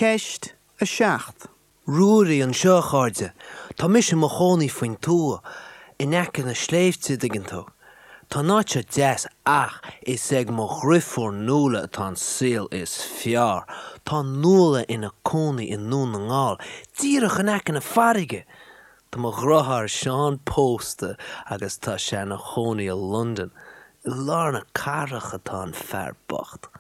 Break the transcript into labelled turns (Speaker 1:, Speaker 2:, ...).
Speaker 1: Ceist 7.
Speaker 2: Ruairí anseo, a chairde. Tá mise i mo chónaí faoin tuath, in aice na sléibhte, an dtuigeann tú. Tá an áit seo deas ach is ag mo dhriofúr Nuala atá an saol is fearr. Tá Nuala ina cónaí i nDún na nGall, díreach in aice na farraige! Tá mo dhriotháir Seán pósta agus tá sé ina chónaí i Londain. I lár na cathrach atá an fear bocht.